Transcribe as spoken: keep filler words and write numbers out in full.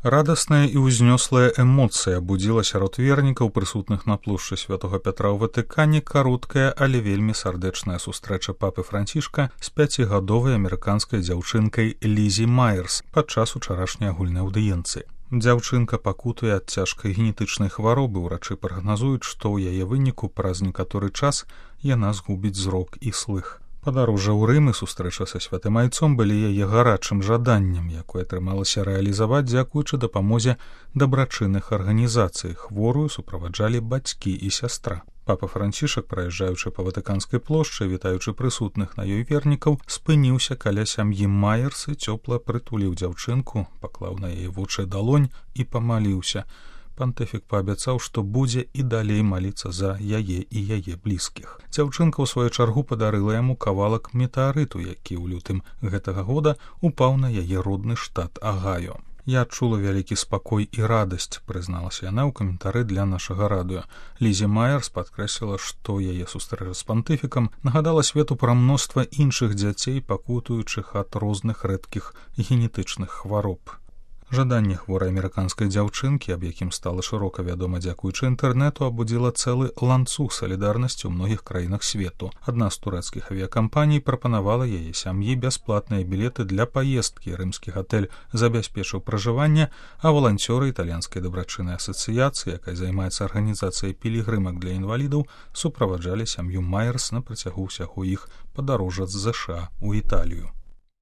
Радасная і ўзнёслая эмоцыя будзіла сярод вернікаў, прысутных на плошчы святога Пятра ў Ватыкане, кароткая, але вельмі сардэчная сустрэча папы Францішка з пяцігадовай амерыканскай дзяўчынкай Лізі Майерс падчас учарашняй агульнай аўдыенцыі. Дзяўчынка пакутуе ад цяжкай генетычнай хваробы, урачы прагназуюць, што ў яе выніку праз некаторы час яна згубіць зрок і слых. Падарожжа ў Рым і сустрэча са святым айцом былі яе гарачым жаданнем, якое атрымалася рэалізаваць дзякуючы дапамозе дабрачынных арганізацый. Хворую суправаджалі бацькі і сястра. Папа Францішак, праязджаючы па Ватыканскай плошчы, вітаючы прысутных на ёй вернікаў, спыніўся каля сям'і Майерс і цёпла прытуліў дзяўчынку, паклаў на яе вочы далонь і памаліўся. Пантыфік паабяцаў, што будзе і далей маліцца за яе і яе блізкіх. Дзяўчынка ў сваю чаргу падарыла яму кавалак метэарыту, які ў лютым гэтага года упаў на яе родны штат Агайо. «Я адчула вялікі спакой і радасць», прызналася яна ў каментары для нашага радыё. Лізі Майерс падкрэсліла, што яе сустрэча з пантыфікам нагадала свету пра мноства іншых дзяцей, пакутуючых ад розных рэдкіх генетычных хвароб. Жаданне хворай амерыканскай дзяўчынкі, аб якім стала шырока вядома дзякуючы інтэрнэту, абудзіла цэлы ланцуг салідарнасці ў многіх краінах свету. Адна з турэцкіх авіякампаній прапанавала яе сям'і бясплатныя білеты для паездкі. Рымскі гатэль забяспечыў пражыванне, а валанцёры італьянскай дабрачыннай асацыяцыі, якая займаецца арганізацыяй пілігрымак для інвалідаў, суправаджалі сям'ю Майерс на працягу ўсяго іх падарожжа з ЗША ў Італію.